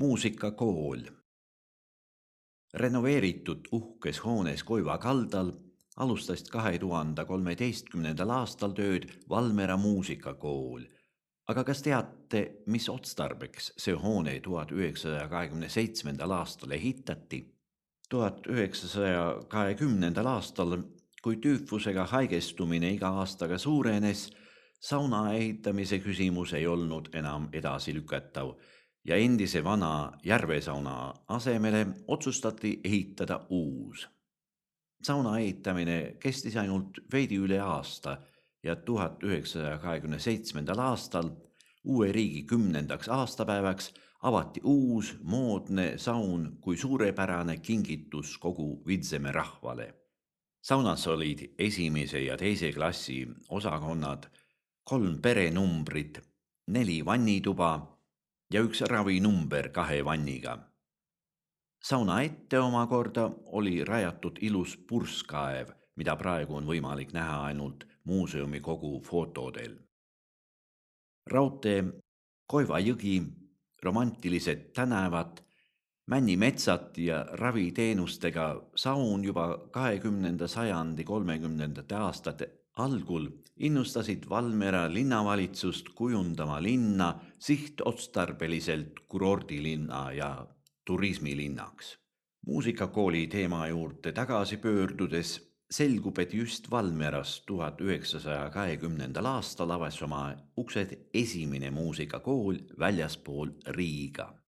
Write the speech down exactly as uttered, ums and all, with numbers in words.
Muusikakool. Renoveeritud uhkes hoones Koiva kaldal alustas kahe tuhande kolmeteistkümnendal aastal tööd Valmiera muusikakool. Aga kas teate, mis otstarbeks see hoone tuhat üheksasaja kahekümne seitsmendal aastal ehitati? tuhat üheksasaja kahekümnendal aastal, kui tüüfusega haigestumine iga aastaga suurenes, sauna ehitamise küsimus ei olnud enam edasi lükatav ja endise vana järvesauna asemele otsustati ehitada uus. Sauna ehitamine kestis ainult veidi üle aasta ja tuhat üheksasaja kahekümne seitsmendal aastal uue riigi kümnendaks aastapäevaks avati uus moodne saun kui suurepärane kingitus kogu Vidzemäe rahvale. Saunas olid esimese ja teise klassi osakonnad, kolm perenumbrit, neli vannituba ja üks ravinumber kahe vanniga. Sauna ette omakorda oli rajatud ilus purskkaev, mida praegu on võimalik näha ainult muuseumi kogu fotodel. Raudtee, Koiva jõgi, romantilised tänavad, männimetsad ja raviteenustega saun juba kahekümnenda sajandi kolmekümnendate aastate algul innustasid Valmiera linnavalitsust kujundama linna sihtotstarbeliselt kurordilinna ja turismilinnaks. Muusikakooli teema juurde tagasi pöördudes selgub, et just Valmieras tuhat üheksasaja kahekümnendal aastal avas oma uksed esimene muusikakool väljaspool Riiga.